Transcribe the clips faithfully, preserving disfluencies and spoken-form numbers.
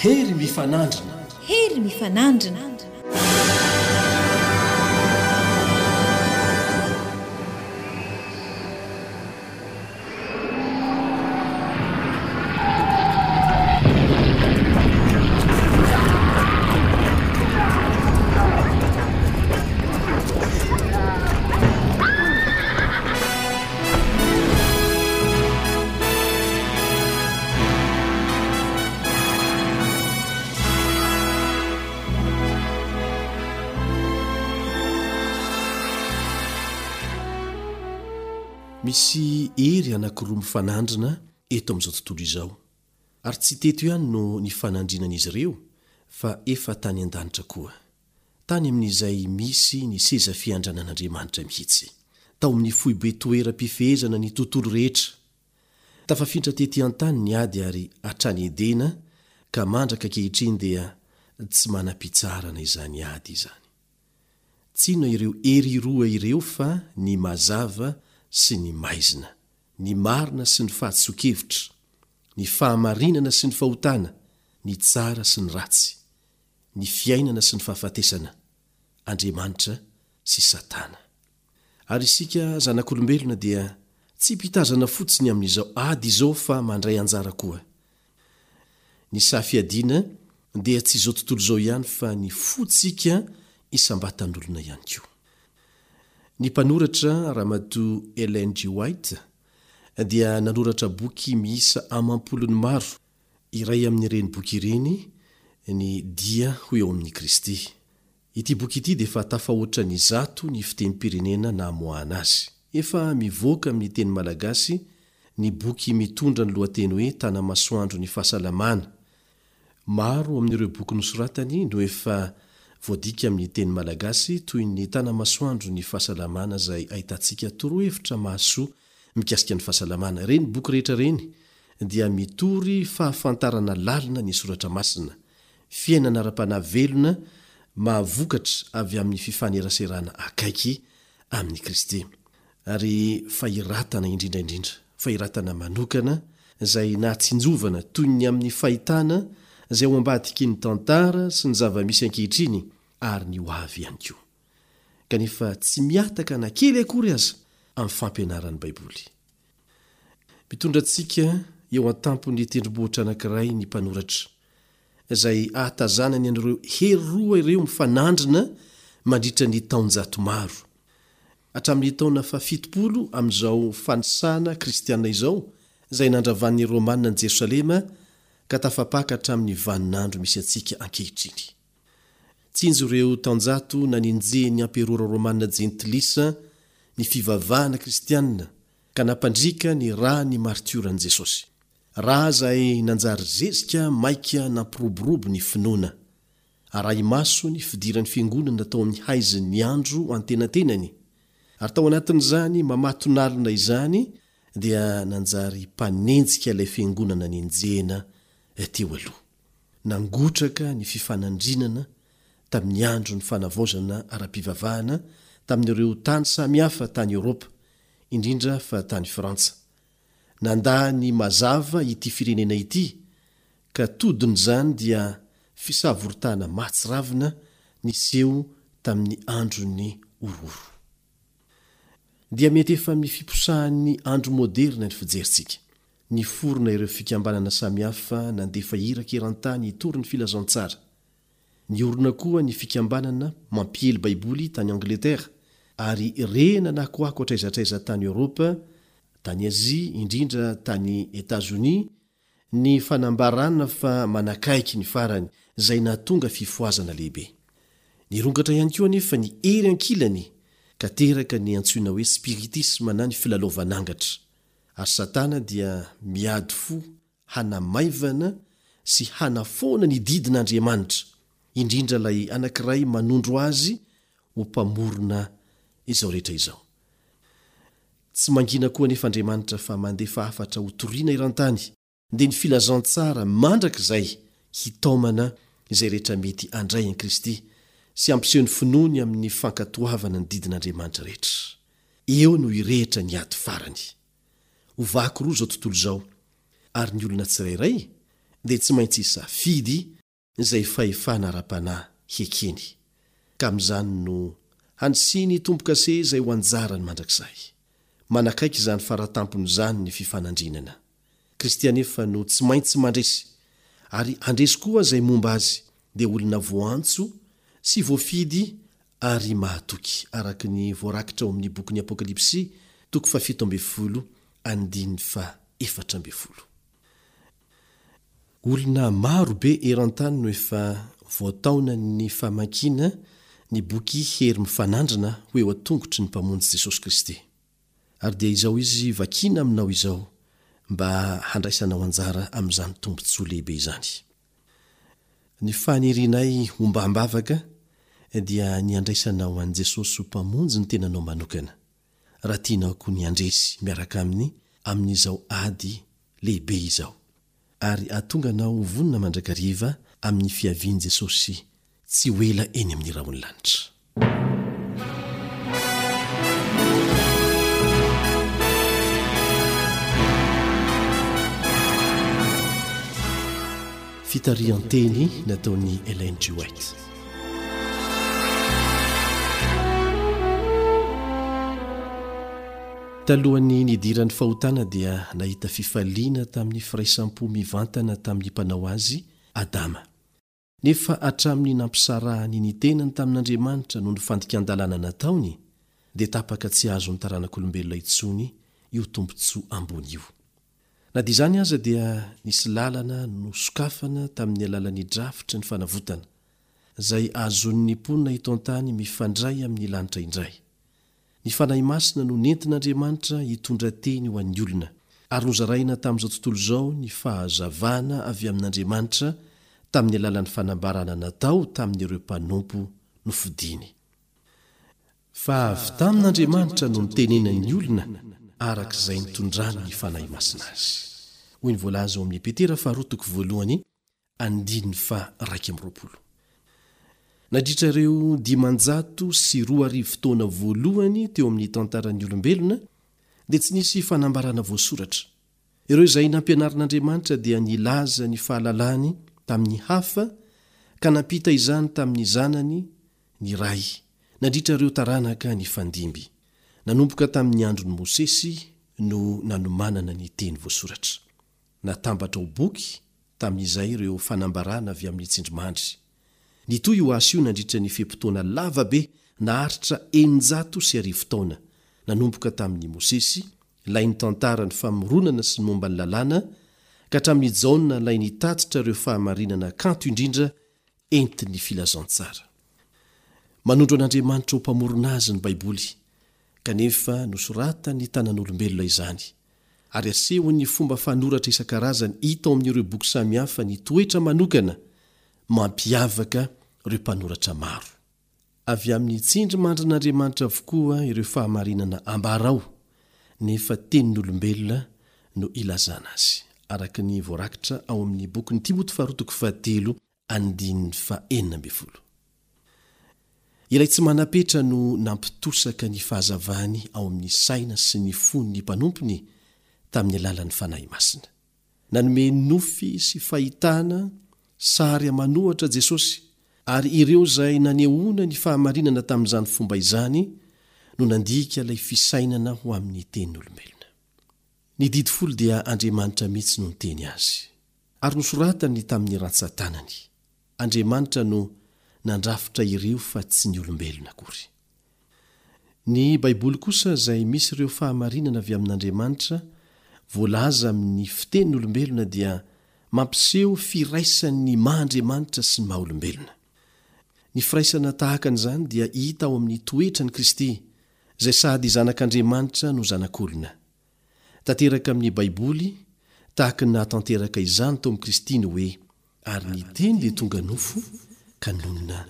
Hery mifanandrina. Hery mifanandrina. Misy hery anankiroa mifanandrina eto amin'izao tontolo izao, ary tsy teto ihany no nifanandrinan'izy ireo fa efa tany an-danitra koa. Tany amin'izay misy ny seza fiandranan'Andriamanitra mihitsy. Tao amin'ny foibe toeram-pifehezana ny tontolo rehetra. Tafafindra tety an-tany ny ady ary hatrany Edena ka mandraka ankehitriny dia tsy manam-pitsaharana izany ady izany. Tsy inona ireo hery roa ireo fa ny mazava sy ny maizina, ny marina sy ny fahadisoan-kevitra, ny fahamarinana sy ny fahotana, ny tsara sy ny ratsy, ny fiainana sy ny fahafatesana, Andriamanitra sy Satana. Ary isika zanak'olombelona dia tsy mpitazana fotsiny amin'izao ady izao fa mandray anjara koa. Ny saha fiadiana dia tsy izao tontolo izao ihany fa ny fontsika isam-batan'olona ihany koa. Ny mpanoratra Ramatoa Ellen G. White dia nanoratra boky miisa amam-polony maro. Iray amin'ireny boky ireny ny Dia ho eo amin'i Kristy. Ity boky ity dia efa tafahoatra ny zato ny fitenim-pirenena namoahana azy. Efa mivoaka amin'ny teny malagasy ny boky mitondra ny lohateny hoe Tanamasoandro ny fahasalamana. Maro amin'ireo boky nosoratany no efa voadika amin'ny teny malagasy toy ny Tanamasoandro ny fahasalamana izay ahitantsika torohevitra mahasoa mikasika ny fahasalamana. Ireny boky rehetra ireny dia mitory fahafantarana lalina ny Soratra Masina, fiainana ara-panahy velona mahavokatra avy amin'ny fifaneraserana akaiky amin'i Kristy, ary fahiratana indrindra indrindra, fahiratana manokana izay nahatsinjovana toy ny amin'ny fahitana izay ao ambadiky ny tantara sy ny zava-misy ankehitriny ary ny ho avy ihany koa. Kanefa tsy mihataka na kely akory aza amin'ny fampianaran'ny Baiboly. Mitondra antsika eo an-tampon'ny tendrombohitra anankiray ny mpanoratra, izay ahatazanany an'ireo hery roa ireo mifanandrina mandritra ny taonjato maro. Hatramin'ny taona fahafitopolo amin'izao fanisana kristiana izao, izay nandravan'ny Romana an'i Jerosalema ka tafapaka hatramin'ny vaninandro misy antsika ankehitriny. Tsinjo ireo taonjato nanenjehin'ny amperora romana jentilisa ny fivavahana kristiana ka nampandriaka ny ra ny martioran'i Jesosy. Ra izay nanjary zezika maika nampiroborobo ny finoana. Arahi-maso ny fidiran'ny fiangonana tao amin'ny haizin'ny andro antenatenany, ary tao anatin'izany mamatonalina izany dia nanjary mpanenjika ilay fiangonana nenjehina teo aloha. Nangotraka ny fifanandrinana tamin'ny andron'ny fanavaozana ara-pivavahana tamin'ireo tany samihafa tany Eoropa, indrindra fa tany Frantsa. Nandà ny mazava ity firenena ity, ka todin'izany dia fisavoritahana mahatsiravina niseho tamin'ny andron'ny horohoro. Dia mety efa amin'ny fiposahan'ny andro moderina ny fijerintsika. Niforona ireo fikambanana samihafa nandefa iraka eran-tany hitory ny filazantsara. Niorina koa ny fikambanana mampiely Baiboly tany Angletera, ary re nanakoako hatraiza hatraiza tany Eoropa, tany Azia, indrindra tany Etazonia, ny fanambarana fa manakaiky ny farany, izay nahatonga fifohazana lehibe. Nirongatra ihany koa anefa ny hery ankilany, ka teraka ny antsoina hoe spiritisma na ny filalaovan'angatra. Ary Satana dia miady fo hanamaivana sy hanafoana ny didin'Andriamanitra, indrindra ilay anankiray manondro azy ho Mpamorona izao rehetra izao. Tsy mangina koa anefa Andriamanitra fa mandefa hafatra hotorina eran-tany, dia ny filazantsara mandrakizay hitaomana izay rehetra mety handray an'i Kristy sy hampiseho ny finoany amin'ny fankatoavana ny didin'Andriamanitra rehetra. Eo no hirehitra ny ady farany. Ho vaky roa izao tontolo izao, ary ny olona tsirairay dia tsy maintsy hisafidy izay fahefana ara-panahy hekeny, ka amin'izany no handrisiany hitombo-kase izay ho anjarany mandrakizay. Manakaiky izany faratampony izany ny fifanandrinana. Kristy anefa no tsy maintsy mandresy, ary handresy koa izay momba Azy, dia olona voantso sy voafidy ary mahatoky, araka ny voarakitra ao amin'ny bokin'ny Apokalypsy, toko fahafito ambin'ny folo, andininy faha-efatra ambin'ny folo. Olona maro be eran-tany no efa voataonan'ny famakiana ny boky Hery Mifanandrina ho eo an-tongotry ny Mpamonjy Jesosy Kristy. Ary dia izao izy vakiana aminao izao mba handraisanao anjara amin'izany tombontsoa lehibe izany. Ny fanirianay hombam-bavaka dia ny handraisanao an'i Jesosy ho Mpamonjy ny tenanao manokana, raha tianao koa ny handresy miaraka Aminy amin'izao ady lehibe izao, ary hahatonga anao ho vonona mandrakariva amin'ny fiavian'i Jesosy tsy ho ela eny amin'ny rahon'ny lanitra. Fitarihan-teny nataon'i Ellen G. White. Talohan'ny nidiran'ny fahotana dia nahita fifaliana tamin'ny firaisam-po mivantana tamin'ny Mpanao azy Adama. Nefa hatramin'ny nampisarahany ny tenany tamin'Andriamanitra noho ny fandikan-dalàna nataony, dia tapaka tsy azon'ny taranak'olombelona intsony io tombontsoa ambony io. Na dia izany aza dia nisy lalana nosokafana tamin'ny alalan'ny drafitry ny fanavotana, izay ahazoan'ny mponina eto an-tany mifandray amin'ny lanitra indray. Ny Fanahy Masina no nentin'Andriamanitra hitondra teny ho an'ny olona, ary nozaraina tamin'izao tontolo izao ny fahazavana avy amin'Andriamanitra tamin'ny alalan'ny fanambarana natao tamin'ireo mpanompo nofidiny. Fa avy tamin'Andriamanitra no nitenenan'ny olona araka izay nitondrany ny Fanahy Masina azy. Hoy ny voalaza ao amin'ny Petera faharoa toko voalohany andininy faha-iraika amby roapolo. Nandritra ireo dimanjato sy roa arivo taona voalohany teo amin'ny tantaran'ny olombelona, dia tsy nisy fanambarana voasoratra. Ireo izay nampianarin'Andriamanitra dia nilaza ny fahalalany tamin'ny hafa ka nampita izany tamin'ny zanany ny Ray, nandritra ireo taranaka nifandimby. Nanomboka tamin'ny andron'i Mosesy no nanomanana ny teny voasoratra. Natambatra ho boky tamin'izay ireo fanambarana avy amin'ny tsindrimandry. Nitohy io asa io nandritra ny fe-potoana lava be naharitra eninjato sy arivo taona, nanomboka tamin'i Mosesy, ilay nitantara ny famoronana sy ny momba ny Lalàna, ka hatramin'i Jaona ilay nitatitra ireo fahamarinana kanto indrindra entin'ny filazantsara. Manondro an'Andriamanitra ho Mpamorona azy ny Baiboly, kanefa nosoratan'ny tanan'olombelona izany, ary asehon'ny fomba fanoratra isan-karazany hita ao amin'ireo boky samihafa ny toetra manokana mampiavaka ireo mpanoratra maro. Avy amin'ny tsindrimandrin'Andriamanitra avokoa ireo fahamarinana ambara ao, nefa tenin'olombelona no ilazana azy, araka ny voarakitra ao amin'ny bokin'i Timoty faharoa toko fahatelo andininy fahenina ambin'ny folo. Ilay tsy manam-petra no nampitosaka ny fahazavany ao amin'ny saina sy ny fon'ny mpanompony tamin'ny alalan'ny Fanahy Masina. Nanome nofy sy fahitana sary aman'ohatra Jesosy, ary ireo izay nanehoana ny fahamarinana tamin'izany fomba izany no nandika ilay fisainana ho amin'ny tenin'olombelona. Ny Didy Folo dia Andriamanitra mihitsy no niteny azy. Ary nosoratany tamin'ny rantsan-tanany. Andriamanitra no nandrafitra ireo fa tsy ny olombelona akory. Ny Baiboly kosa izay misy ireo fahamarinana avy amin'Andriamanitra voalaza amin'ny fitenin'olombelona dia mampiseho firaisan'ny maha Andriamanitra sy ny maha olombelona. Ny firaisana tahaka an'izany dia hita ao amin'ny toetran'i Kristy izay sady Zanak'Andriamanitra no Zanak'olona. Tanteraka amin'ny Baiboly, tahaka ny nahatanteraka izany tao amin'i Kristy ny hoe, Ary ny Teny dia tonga nofo ka nonina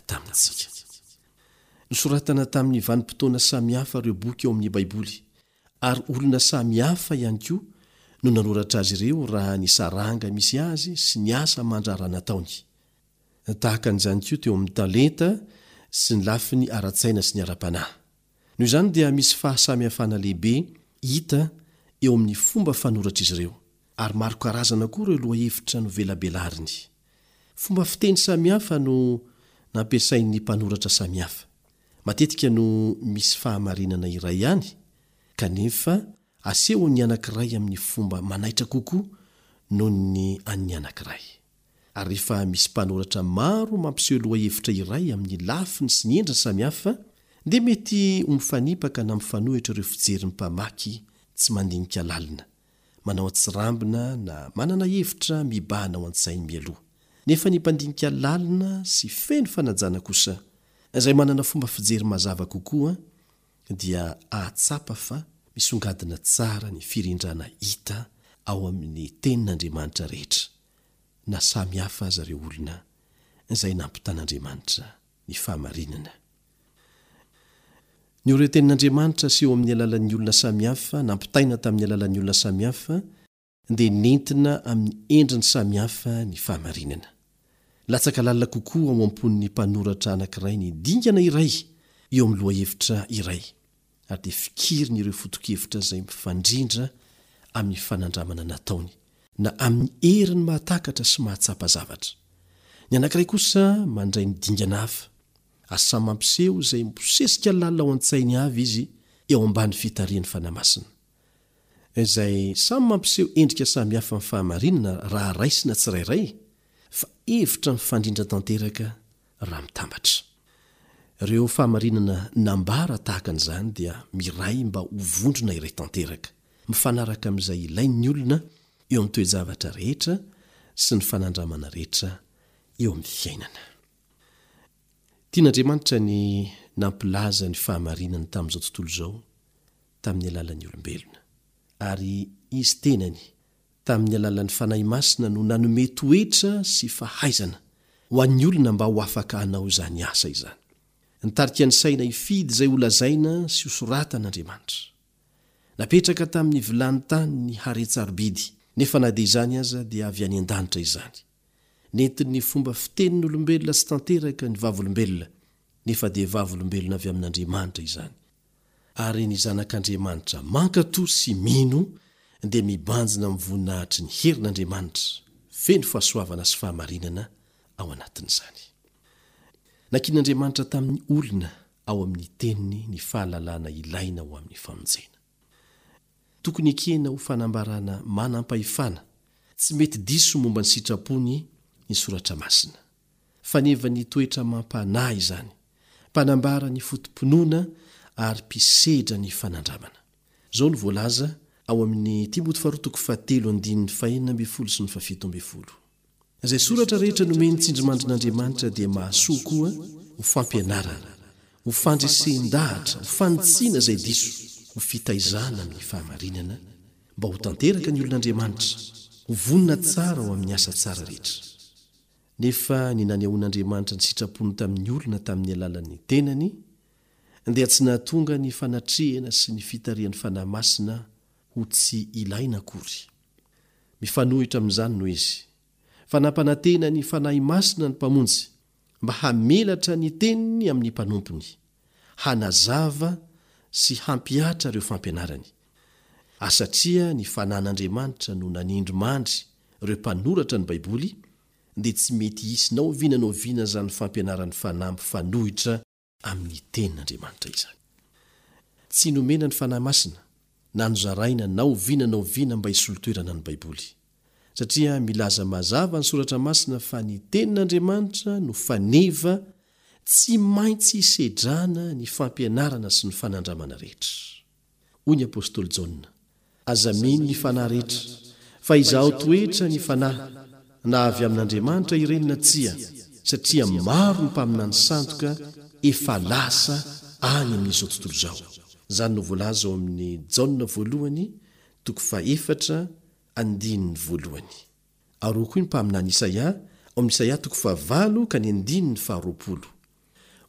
tamintsika. Nosoratana tamin'ny vanim-potoana samihafa ireo boky ao amin'ny Baiboly, ary olona samihafa ihany koa no nanoratra azy ireo raha ny saranga misy azy sy ny asa aman-draharaha nataony. Tahaka an'izany koa teo amin'ny talenta sy ny lafiny ara-tsaina sy ny ara-panahy. Noho izany dia misy fahasamihafana lehibe hita eo amin'ny fomba fanoratr'izy ireo, Ary maro karazana koa ireo lohahevitra novelabelariny. Fomba fiteny samihafa no nampiasain'ny mpanoratra samihafa. Matetika no misy fahamarinana iray ihany, kanefa asehon'ny anankiray amin'ny fomba manaitra kokoa noho ny an'ny anankiray. Ary rehefa misy mpanoratra maro mampiseho lohahevitra iray amin'ny lafiny sy ny endriny samihafa, dia mety ho mifanipaka na mifanohitra ireo fijerin'ny mpamaky tsy mandinika lalina, manao an-tsirambina na manana hevitra mibahana ao an-tsainy mialoha. Nefa ny mpandinika lalina sy feno fanajana kosa, izay manana fomba fijery mazava kokoa, dia hahatsapa fa misongadina tsara ny firindrana hita ao amin'ny Tenin'Andriamanitra rehetra, na samy hafa aza ireo olona izay nampitan'Andriamanitra ny fahamarinana. Ny ireo Tenin'Andriamanitra aseho amin'ny alalan'ny olona samihafa, nampitaina tamin'ny alalan'ny olona samihafa, dia nentina amin'ny endriny samihafa ny fahamarinana. Latsaka lalina kokoa ao am-pon'ny mpanoratra anankiray ny dingana iray eo amin'ny lohahevitra iray, ary dia fikiriny ireo foto-kevitra izay mifandrindra amin'ny fanandramana nataony, na amin'ny heriny mahatakatra sy mahatsapa zavatra. Ny anankiray kosa mandray ny dingana hafa, ary samy mampiseho izay mibosesika lalina ao an-tsainy avy izy eo ambany fitarihan'ny Fanahy Masina. Izay samy mampiseho endrika samihafa amin'ny fahamarinana raha raisina tsirairay, fa hevitra mifandrindra tanteraka raha mitambatra. Ireo fahamarinana nambara tahaka an'izany dia miray mba ho vondrona iray tanteraka, mifanaraka amin'izay ilain'ny olona eo amin'ny toe-javatra rehetra sy ny fanandramana rehetra eo amin'ny fiainana. Tian'Andriamanitra ny nampilaza ny fahamarinany tamin'izao tontolo izao tamin'ny alalan'ny olombelona, ary Izy tenany tamin'ny alalan'ny Fanahy Masina no nanome toetra sy fahaizana ho an'ny olona mba ho afaka hanao izany asa izany. Nitarika ny saina hifidy izay holazaina sy hosoratana Andriamanitra. Napetraka tamin'ny vilany tany ny haren-tsarobidy, nefa na dia izany aza dia avy any an-danitra izany. Nentin'ny fomba fitenin'olombelona tsy tanteraka ny vavolombelona, nefa dia vavolombelona avy amin'Andriamanitra izany. Ary ny zanak'Andriamanitra mankatò sy mino dia mibanjina amin'ny voninahitry ny herin'Andriamanitra, feno fahasoavana sy fahamarinana ao anatin'izany. Nankin'Andriamanitra tamin'ny olona ao amin'ny Teniny ny fahalalana ilaina ho amin'ny famonjena. Tokony ekena ho fanambarana manam-pahefana tsy mety diso momba ny sitrapony ny Soratra Masina. Faneva ny toetra amam-panahy izany, mpanambara ny foto-pinoana ary mpisedra ny fanandramana. Izao no voalaza ao amin'ny Timoty faharoa toko fahatelo andininy fahenina ambin'ny folo sy ny fahafito ambin'ny folo. Izay soratra rehetra nomen'ny tsindrimandrin'Andriamanitra dia mahasoa koa ho fampianarana, ho fandresen-dahatra, ho fanitsiana izay diso, ho fitaizana amin'ny fahamarinana, mba ho tanteraka ny olon'Andriamanitra, ho vonona tsara ho amin'ny asa tsara rehetra. Nefa ny nanehoan'Andriamanitra ny sitrapony tamin'ny olona tamin'ny alalan'ny tenany dia tsy nahatonga ny fanatrehana sy ny fitarihan'ny Fanahy Masina ho tsy ilaina akory. Mifanohitra amin'izany no izy, fa nampanantena ny Fanahy Masina ny Mpamonjy mba hamelatra ny teniny amin'ny mpanompony, hanazava sy hampihatra ireo fampianarany. Ary satria ny Fanahin'Andriamanitra no nanindry mandry ireo mpanoratra ny Baiboly, dia tsy mety hisy na oviana na oviana izany fampianaran'ny Fanahy mifanohitra amin'ny Tenin'Andriamanitra izany. Tsy nomena ny Fanahy Masina, na nozaraina na oviana na oviana mba hisolo toerana ny Baiboly. Satria milaza mazava ny Soratra Masina fa ny Tenin'Andriamanitra no faneva tsy maintsy hisedrana ny fampianarana sy ny fanandramana rehetra. Hoy ny apostoly Jaona, Aza mino ny fanahy rehetra, fa izaho toetra ny fanahy, na avy amin'Andriamanitra ireny na tsia, satria maro ny mpaminany sandoka efa lasa any amin'izao tontolo izao. Izany no voalaza ao amin'ny Jaona voalohany toko fahefatra andininy voalohany. Ary hoy koa ny mpaminany Isaia ao amin'ny Isaia toko fahavalo ka ny andininy faharoapolo,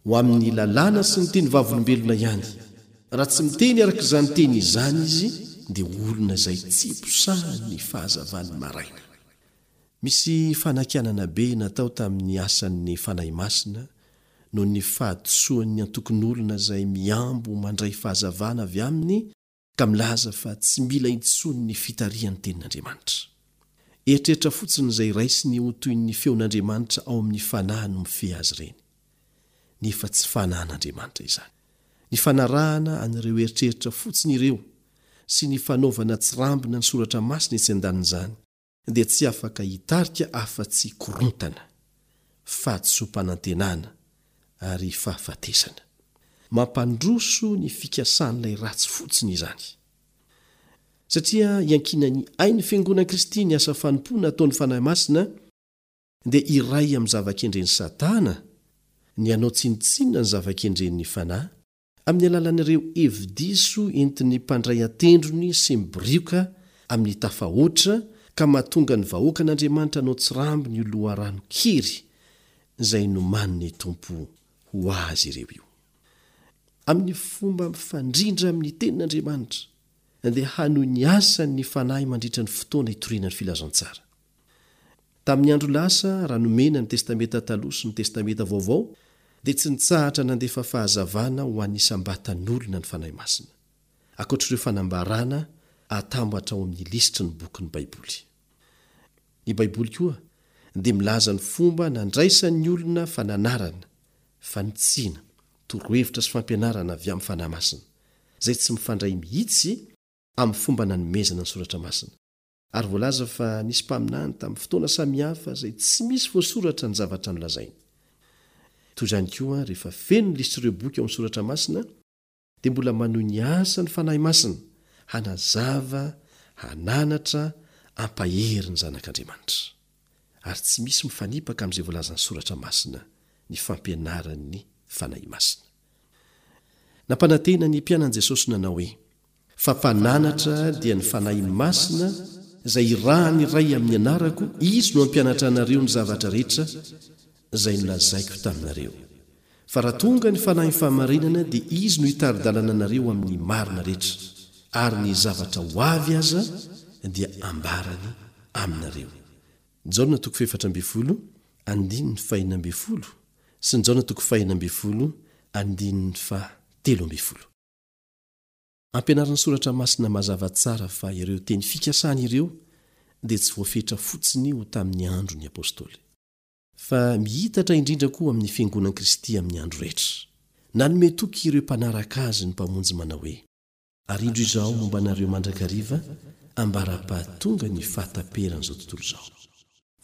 Ho amin'ny lalàna sy ny teny vavolombelona ihany. Raha tsy miteny araka izany teny izany izy, dia olona izay tsy posahan'ny fahazavan'ny maraina. Misy fanakianana be natao tamin'ny asan'ny Fanahy Masina noho ny fahadisoan'ny antokon'olona izay mihambo mandray fahazavana avy aminy ka milaza fa tsy mila intsony ny fitarihan'ny Tenin'Andriamanitra. Eritreritra fotsiny izay raisiny ho toy ny feon'Andriamanitra ao amin'ny fanahy no mifehy azy ireny. Nefa tsy fanahin'Andriamanitra izany. Ny fanarahana an'ireo eritreritra fotsiny ireo sy ny fanaovana tsirambina ny soratra masina etsy an-danin'izany dia tsy afaka hitarika afa-tsy korontana, fahadisoam-panantenana ary fahafatesana. Mampandroso ny fikasan'ilay ratsy fotsiny izany. Satria iankinan'ny ain'ny Fiangonan'i Kristy ny asa fanompoana ataon'ny Fanahy Masina, dia iray amin'ny zava-kendren'i Satana ny hanao tsinontsinona ny zava-kendren'ny Fanahy, amin'ny alalan'ireo hevi-diso entin'ny mpandray an-tendrony sy mibirioka amin'ny tafahoatra ka mahatonga ny vahoakan'Andriamanitra hanao tsirambina io loharanon-kery izay nomanin'ny Tompo ho azy ireo io. Amin'ny fomba mifandrindra amin'ny Tenin'Andriamanitra, dia hanohy ny asany ny Fanahy mandritra ny fotoana itoriana ny filazantsara. Tamin'ny andro lasa, raha nomena ny Testamenta Taloha sy ny Testamenta Vaovao, dia tsy nitsahatra nandefa fahazavana ho an'ny isam-batan'olona ny Fanahy Masina, ankoatr'ireo fanambarana atambatra ao amin'ny lisitry ny bokin'ny Baiboly. Ny Baiboly koa dia milaza ny fomba nandraisan'ny olona fananarana, fanitsiana, torohevitra sy fampianarana avy amin'ny Fanahy Masina, izay tsy mifandray mihitsy amin'ny fomba nanomezana ny Soratra Masina. Ary voalaza fa nisy mpaminany tamin'ny fotoana samihafa izay tsy misy voasoratra ny zavatra nolazainy. Toy izany koa, rehefa feno ny lisitr'ireo boky ao amin'ny Soratra Masina, dia mbola manohy ny asa ny Fanahy Masina, hanazava, hananatra, hampahery ny zanak'Andriamanitra. Ary tsy misy mifanipaka amin'izay voalazan'ny Soratra Masina ny fampianaran'ny Fanahy Masina. Nampanantena ny mpianany Jesosy nanao hoe, Fa Mpananatra dia ny Fanahy Masina izay irahan'ny Ray amin'ny anarako, Izy no hampianatra anareo ny zavatra rehetra izay nolazaiko taminareo. Fa raha tonga ny Fanahin'ny fahamarinana dia Izy no hitari-dalana anareo amin'ny marina rehetra, ary ny zavatra ho avy aza dia ambarany aminareo. Jaona toko fahefatra ambin'ny folo andininy fahenina ambin'ny folo sy ny Jaona toko fahenina ambin'ny folo andininy fahatelo ambin'ny folo. Ampianarin'ny Soratra Masina mazava tsara fa ireo teny fikasana ireo dia tsy voafetra fotsiny ho tamin'ny andron'ny apostoly. Fa miitatra indrindra koa amin'ny Fiangonan'i Kristy amin'ny andro rehetra. Nanome toky ireo mpanaraka Azy ny Mpamonjy manao hoe. Ary indro Izaho momba anareo mandrakariva ambara-pahatonga ny fahataperan'izao tontolo izao.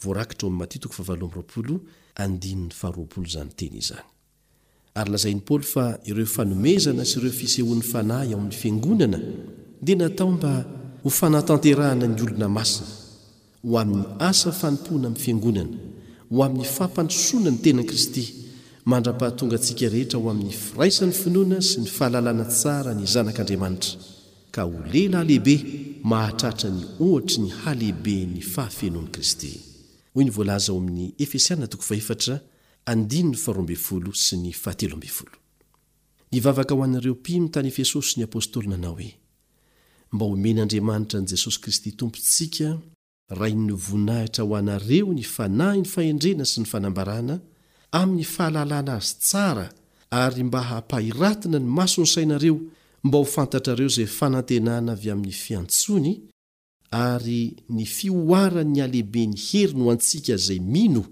Voarakitra ao amin'ny Matio toko fahavalo amby roapolo andininy faharoapolo izany teny izany. Ary lazain'i Paoly fa ireo fanomezana sy ireo fisehoan'ny Fanahy ao amin'ny Fiangonana dia natao mba ho fanatanterahana ny olona masina, ho amin'ny asa fanompoana amin'ny Fiangonana, ho amin'ny fampandrosoana ny tenan'i Kristy, mandra-pahatonga antsika rehetra ho amin'ny firaisan'ny finoana sy ny fahalalana tsara ny Zanak'Andriamanitra, ka ho lehilahy lehibe mahatratra ny ohatry ny halehiben'ny fahafenoan'i Kristy. Hoy ny voalaza ao amin'ny Efesiana toko fahefatra andininy faharoa ambin'ny folo sy ny fahatelo ambin'ny folo. Nivavaka ho an'ireo mpino tany Efesosy ny apostoly nanao hoe, Mba homen'Andriamanitra an'i Jesosy Kristy Tompontsika, Rain'ny voninahitra ho anareo ny fanahin'ny fahendrena sy ny fanambarana amin'ny fahalalana Azy tsara ary mba hampahiratina ny mason'ny sainareo mba ho fantatrareo izay fanantenana avy amin'ny fiantsoany ary ny fihoaran'ny halehiben'ny heriny ho antsika izay mino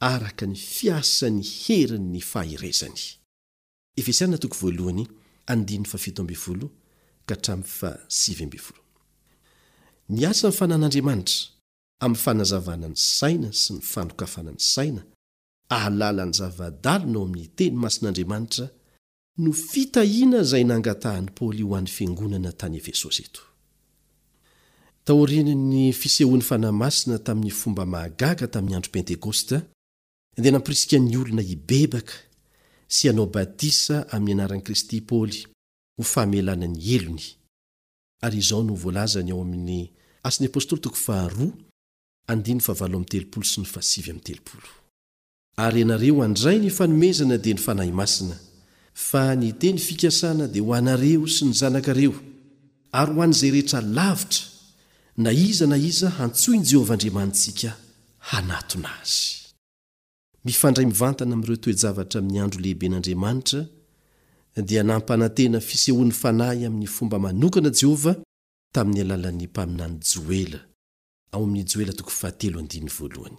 araka ny fiasan'ny herin'ny faherezany. Efesiana toko voalohany andininy fahafito ambin'ny folo ka hatramin'ny fahasivy ambin'ny folo. Ny asan'ny fanan'Andriamanitra amin'ny fanazavana ny saina sy ny fanokafana ny saina ahalala ny zava-dalina ao amin'ny Teny masin'Andriamanitra no fitahiana izay nangatahan'i Paoly ho an'ny fiangonana tany Efesosy eto. Taorian'ny fisehoan'ny Fanahy Masina tamin'ny fomba mahagaga tamin'ny andro Pentekosta, dia nampirisika ny olona hibebaka sy hanao batisa amin'ny anaran'i Kristy i Paoly ho famelana ny helony. Ary izao no voalazany ao amin'ny Asan'ny Apostoly toko faharoa, andininy fahavalo amby telopolo sy ny fahasivy amby telopolo. Ary ianareo handray ny fanomezana dia ny Fanahy Masina, fa ny teny fikasana dia ho anareo sy ny zanakareo, ary ho an'izay rehetra lavitra, na iza na iza hantsoin'i Jehovah Andriamanitsika hanatona azy. Mifandray mivantana amin'ireo toe-javatra amin'ny andro lehiben'Andriamanitra, dia nampanantena fisehoan'ny fanahy amin'ny fomba manokana Jehovah tamin'ny alalan'ny mpaminany Joela, ao amin'ny Joela toko fahatelo andininy voalohany.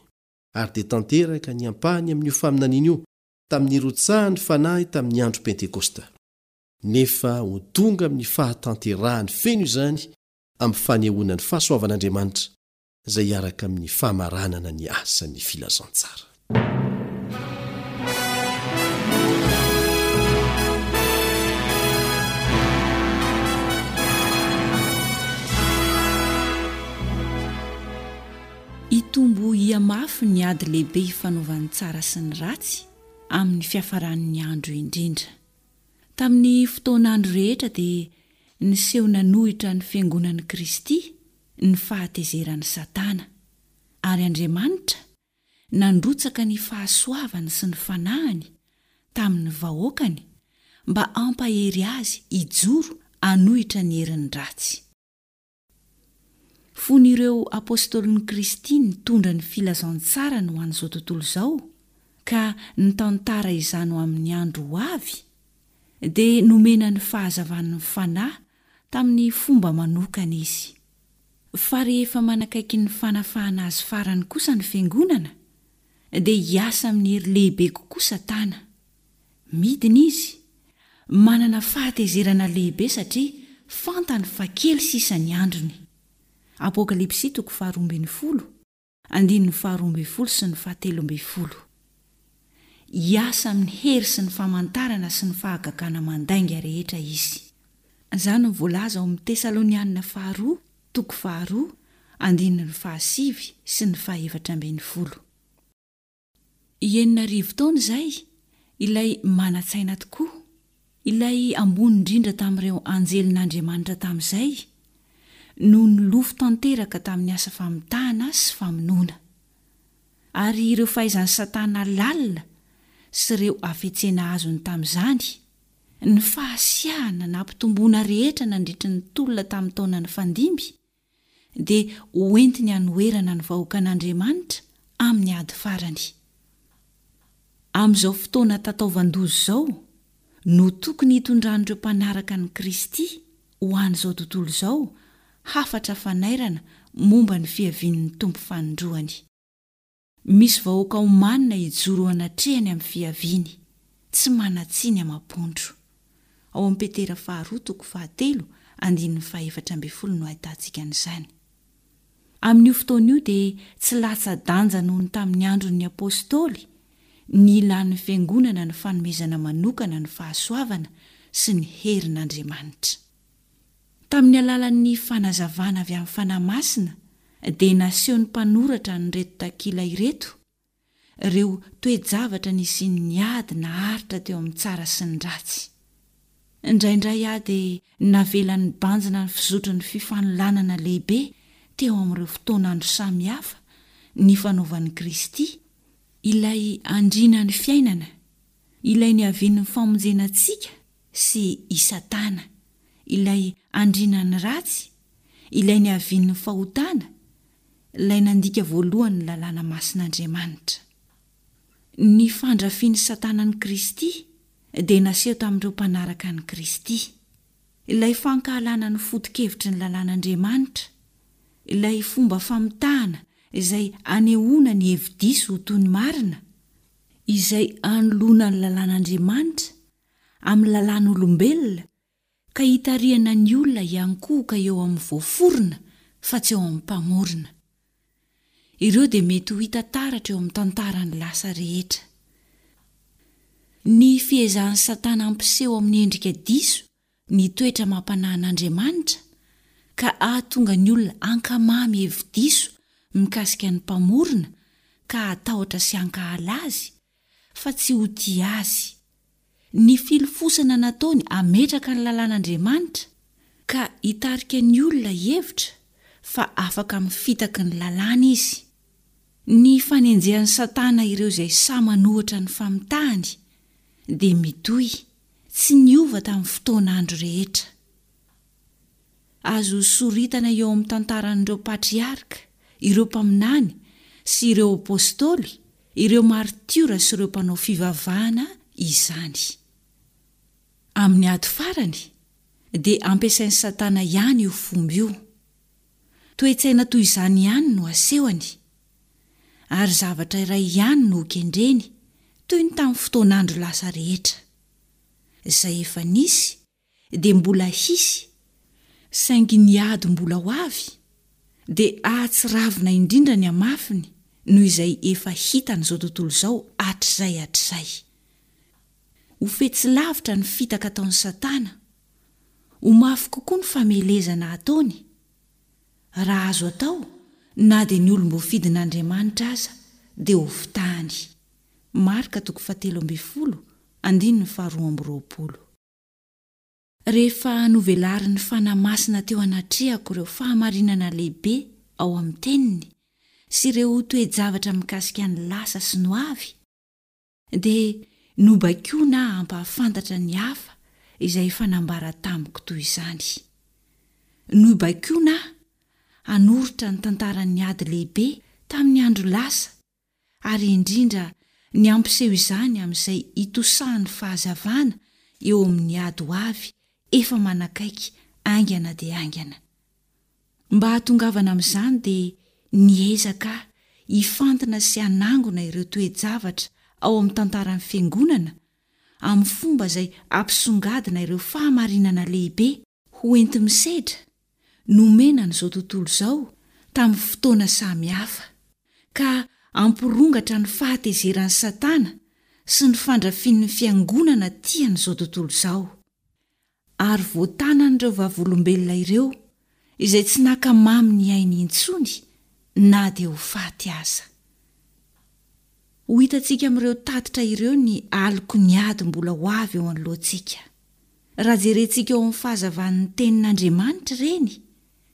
Ary dia tanteraka ny ampahany amin'io faminaniana io tamin'ny nirotsahan'ny Fanahy tamin'ny andro Pentekosta. Nefa ho tonga amin'ny fahatanterahany feno izany amin'ny fanehoana ny fahasoavan'Andriamanitra izay hiaraka amin'ny famaranana ny asan'ny filazantsara. Hitombo hihamafy ny ady lehibe ifanaovan'ny tsara sy ny ratsy amin'ny fiafaran'ny andro indrindra. Tamin'ny fotoan'andro rehetra dia niseho nanohitra ny Fiangonan'i Kristy ny fahatezeran'i Satana, ary Andriamanitra nandrotsaka ny fahasoavany sy ny Fanahiny tamin'ny vahoakany mba hampahery azy hijoro hanohitra ny herin'ny ratsy. Fony ireo Apôstôlin'i Kristy nitondra ny filazantsarany ho an'izao tontolo izao ka nitantara izany ho amin'ny andro ho avy, dia nomena ny fahazavan'ny Fanahy tamin'ny fomba manokana izy. Fa rehefa manakaiky ny fanafahana azy farany kosa ny Fiangonana, dia hiasa amin'ny hery lehibe kokoa Satana. Midina izy, manana fahatezerana lehibe satria fantany fa kely sisa ny androny. Apokalypsy toko faharoa ambin'ny folo, andininy faharoa ambin'ny folo sy ny fahatelo ambin'ny folo. Hiasa amin'ny hery sy ny famantarana sy ny fahagagana mandainga rehetra izy. Izany no voalaza ao amin'ny Tesalonianina faharoa toko faharoa, andininy fahasivy sy ny fahefatra ambin'ny folo. Enina arivo taona izay, ilay manan-tsaina tokoa, ilay ambony indrindra tamin'ireo anjelin'Andriamanitra tamin'izay, no nilofo tanteraka tamin'ny asa famitahana sy famonoana. Ary ireo fahaizan'i Satana lalina sy ireo hafetsena azony tamin'izany, ny fahasiahana nampitomboana rehetra nandritry ny tolona tamin'ny taona nifandimby, dia hoentiny hanoherana ny vahoakan'Andriamanitra amin'ny ady farany. Amin'izao fotoana tataovan-doza izao no tokony hitondran'ireo mpanaraka an'i Kristy ho an'izao tontolo izao hafatra fanairana momba ny fiavian'ny Tompo fanindroany. Misy vahoaka omanina hijoro eo anatrehany amin'ny fiaviany, tsy manan-tsiny amam-pondro. Ao amin'ny Petera faharoa toko fahatelo andininy fahefatra ambin'ny folo no ahitantsika an'izany. Amin'io fotoana io dia tsy latsa-danja noho ny tamin'ny andron'ny Apostoly ny ilàn'ny Fiangonana ny fanomezana manokana ny fahasoavana sy ny herin'Andriamanitra. Tamin'ny alalan'ny fanazavana avy amin'ny Fanahy Masina dia nasehon'ny mpanoratra an'ireto takila ireto ireo toe-javatra nisian'ny ady naharitra teo amin'ny tsara sy ny ratsy. Indraindray aho dia navela nibanjina ny fizotry ny fifanolanana lehibe teo amin'ireo fotoan'andro samihafa nifanaovan'i Kristy, ilay Andrianan'ny fiainana, ilay niavian'ny famonjena antsika sy i Satana, ilay andrianan'ny ratsy, ilay niavian'ny fahotana, ilay nandika voalohany ny lalàna masin'Andriamanitra. Ny fandrafian'i Satana an'i Kristy dia naseho tamin'ireo mpanaraka an'i Kristy. Ilay fankahalana ny foto-kevitry ny lalàn'Andriamanitra, ilay fomba famitahana izay anehoana ny hevi-diso ho toy ny marina, izay anoloana ny lalàn'Andriamanitra amin'ny lalàn'olombelona ka hitarihana ny olona hiankohoka eo amin'ny voaforona fa tsy eo amin'ny Mpamorona. Ireo dia mety ho hita taratra eo amin'ny tantaran'ny lasa rehetra. Ny fiezahan'i Satana hampiseho amin'ny endrika diso ny toetra amam-panahin'Andriamanitra ka hahatonga ny olona hankamamy hevi-diso mikasika ny Mpamorona ka hatahotra sy hankahala Azy fa tsy ho tia Azy. Ny filofosana nataony hametraka ny lalàn'Andriamanitra ka hitarika ny olona hihevitra fa afaka amin'ny fitaky ny lalàna izy. Ny fanenjehan'i Satana ireo izay sahy manohitra ny famitahany dia mitohy, tsy niova tamin'ny fotoan'andro rehetra. Azo soritana eo amin'ny tantaran'ireo patriarka, ireo mpaminany sy ireo apostoly, ireo maritiora sy ireo mpanao fivavahana izany. Amin'ny ady farany, dia ampiasain'i Satana ihany io fomba io. Toe-tsaina toy izany ihany no asehony, ary zavatra iray ihany no hokendreny, toy ny tamin'ny fotoan'andro lasa rehetra. Izay efa nisy dia mbola hisy, saingy ny ady mbola ho avy dia hahatsiravina indrindra ny hamafiny noho izay efa hitan'izao tontolo izao hatrizay hatrizay. Ho fetsy lavitra ny fitaka ataon'i Satana, ho mafy kokoa ny famelezana ataony, raha azo atao, na dia ny olom-boafidin'Andriamanitra aza dia hofitahany. Marka toko fahatelo ambin'ny folo, andininy faharoa amby roapolo. Rehefa novelarin'ny Fanahy Masina teo anatrehako ireo fahamarinana lehibe ao amin'ny Teniny sy ireo toe-javatra mikasika ny lasa sy ny hoavy, dia nobaikoina aho hampahafantatra ny hafa izay efa nambara tamiko toy izany. Nobaikoina aho hanoritra ny tantaran'ny ady lehibe tamin'ny andro lasa ary indrindra ny hampiseho izany amin'izay hitosahan'ny fahazavana eo amin'ny ady ho avy efa manakaiky haingana dia haingana. Mba hahatongavana amin'izany dia niezaka aho hifantina sy hanangona ireo toe-javatra ao amin'ny tantaran'ny Fiangonana amin'ny fomba izay hampisongadina ireo fahamarinana lehibe ho enti-misedra nomena an'izao tontolo izao tamin'ny fotoana samy hafa, ka hampirongatra ny fahatezeran'i Satana sy ny fandrafian'ny fiangonana tia an'izao tontolo izao. Ary voatanan'ireo vavolombelona ireo izay tsy naka mamy ny ainy intsony na dia ho faty aza. Ho hitantsika amin'ireo tatitra ireo ny aloky ny ady mbola ho avy eo anoloantsika. Raha jerentsika eo amin'ny fahazavan'ny Tenin'Andriamanitra ireny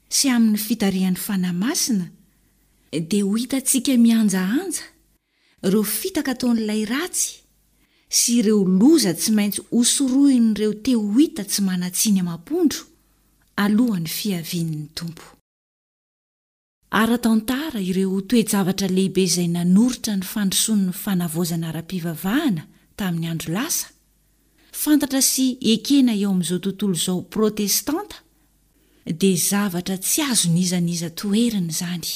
sy amin'ny fitarihan'ny Fanahy Masina, dia ho hitantsika mihanjahanja ireo fitaka ataon'ilay ratsy sy ireo loza tsy maintsy hosorohin'ireo te ho hita tsy manan-tsiny amam-pondro alohan'ny fiavian'ny Tompo. Ara-tantara, ireo toe-javatra lehibe izay nanoritra ny fandrosoan'ny fanavaozana ara-pivavahana tamin'ny andro lasa, fantatra sy ekena eo amin'izao tontolo izao protestanta, dia zavatra tsy azon'iza n'iza toherina izany.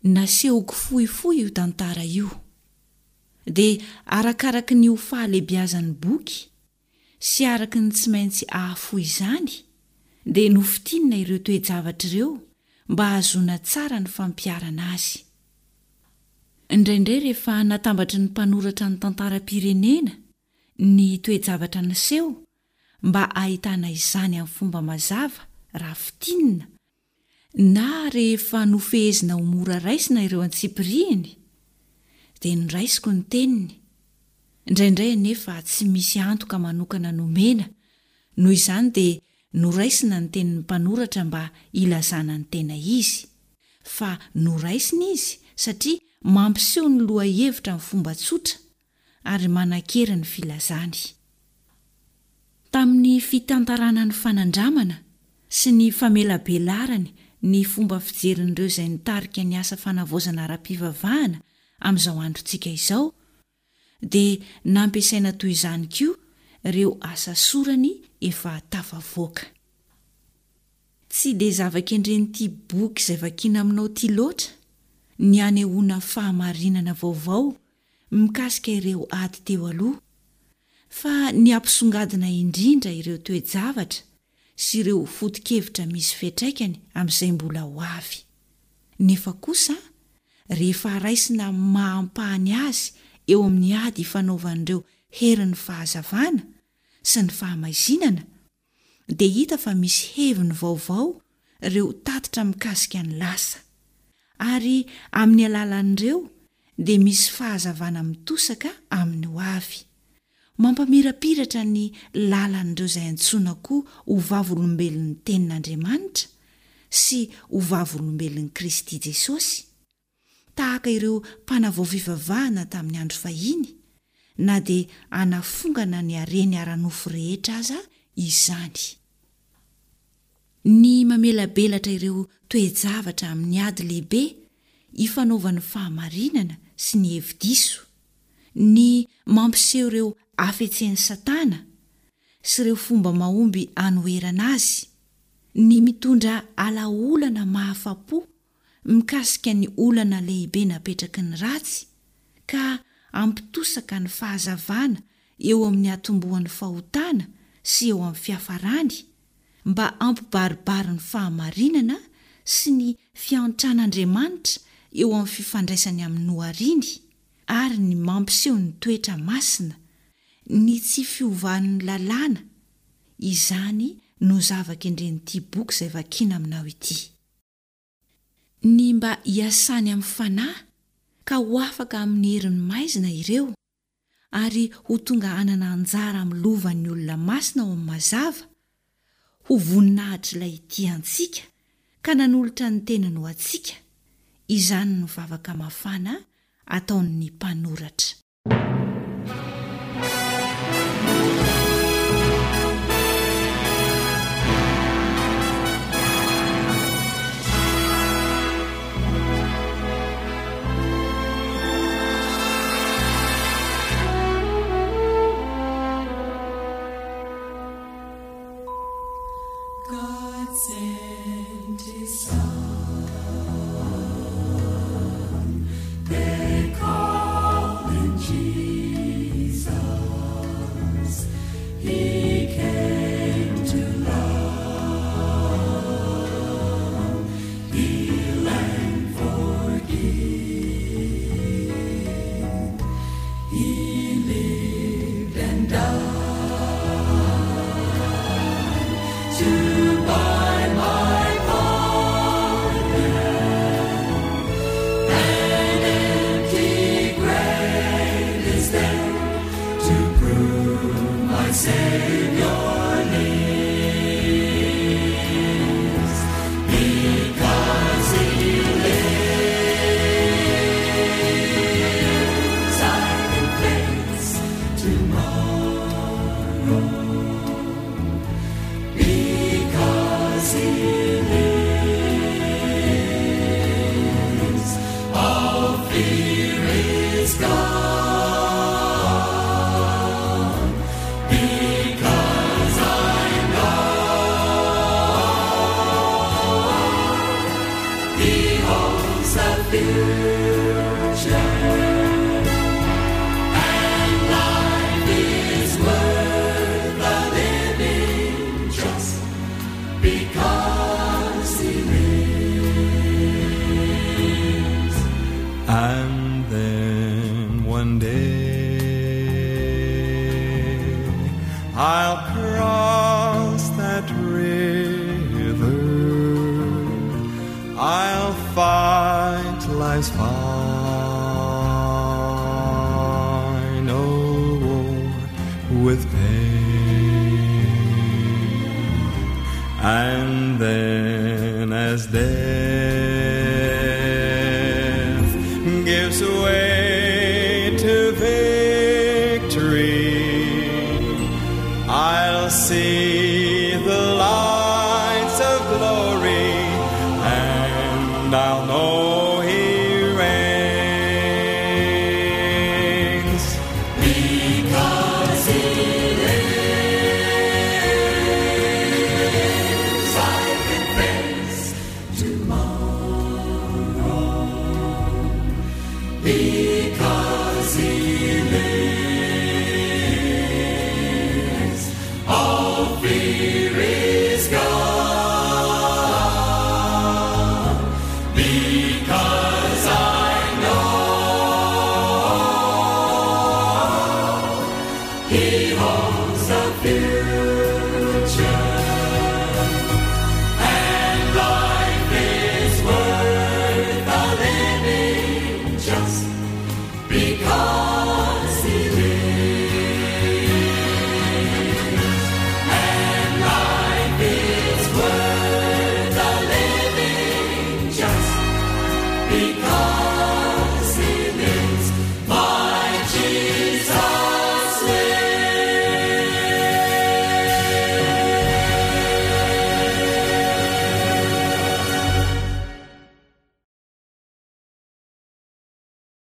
Nasehoko fohifohy io tantara io. Dia arakaraky ny ho fahalebiazan'ny boky sy araka ny tsy maintsy hahafoy izany, dia nofintinina ireo toe-javatra ireo mba hahazoana tsara ny fampiharana azy. Indraindray rehefa natambatry ny mpanoratra ny tantaram-pirenena ny toe-javatra niseho mba hahitana izany amin'ny fomba mazava raha fintinina, na rehefa nofehezina ho mora raisina ireo antsipiriany, dia noraisiko ny teniny. Indraindray anefa tsy misy antoka manokana nomena, noho izany dia noraisina ny tenin'ny mpanoratra mba hilazana ny tena izy, fa noraisina izy satria mampiseho ny lohahevitra amin'ny fomba tsotra ary manan-kery ny filazany. Tamin'ny fitantarana ny fanandramana sy ny famelabelarany ny fomba fijerin'ireo izay nitarika ny asa fanavaozana ara-pivavahana amin'izao androntsika izao, dia nampiasaina toy izany koa ireo asa sorany efa tafavoaka. Tsy dia zava-kendren'ity boky izay vakiana aminao ity loatra ny hanehoana fahamarinana vaovao mikasika ireo ady teo aloha, fa ny hampisongadina indrindra ireo toe-javatra sy ireo foto-kevitra misy fiantraikany amin'izay mbola ho avy. Nefa kosa, rehefa raisina amin'ny maha ampahany azy eo amin'ny ady ifanaovan'ireo herin'ny fahazavana sy ny fahamaizinana, dia hita fa misy heviny vaovao ireo tatitra mikasika ny lasa, ary amin'ny alalan'ireo dia misy fahazavana mitosaka amin'ny ho avy. Mampamirapiratra ny lalan'ireo izay antsoina koa ho vavolombelon'ny Tenin'Andriamanitra sy ho vavolombelon'i Kristy Jesosy, tahaka ireo mpanavao fivavahana tamin'ny andro fahiny, na dia hanafongana ny hareny ara-nofo rehetra aza izany. Ny mamelabelatra ireo toe-javatra amin'ny ady lehibe ifanaovan'ny fahamarinana sy ny hevi-diso, ny mampiseho ireo hafetsen'i Satana sy ireo fomba mahomby hanoherana azy, Ny mitondra alaolana mahafa-po mikasika ny olana lehibe napetraky ny ratsy ka hampitosaka ny fahazavana eo amin'ny hatombohan'ny fahotana sy eo amin'ny fiafarany mba hampibaribary ny fahamarinana sy ny fiantran'Andriamanitra eo amin'ny fifandraisany amin'ny nohariny ary ny mampiseho ny toetra masina, ny tsy fiovan'ny lalàna, izany no zava-kendren'ity boky izay vakiana aminao ity. Ny mba hiasany amin'ny fanahy ka ho afaka amin'ny herin'ny maizina ireo ary ho tonga hanana anjara amin'ny lovan'ny olona masina ao amin'ny mazava, ho voninahitr'Ilay tia antsika ka nanolotra ny tenany ho antsika, izany no vavaka mafana ataon'ny mpanoratra. And then one day I'll cross that river. I'll fight life's final war with pain. And then as death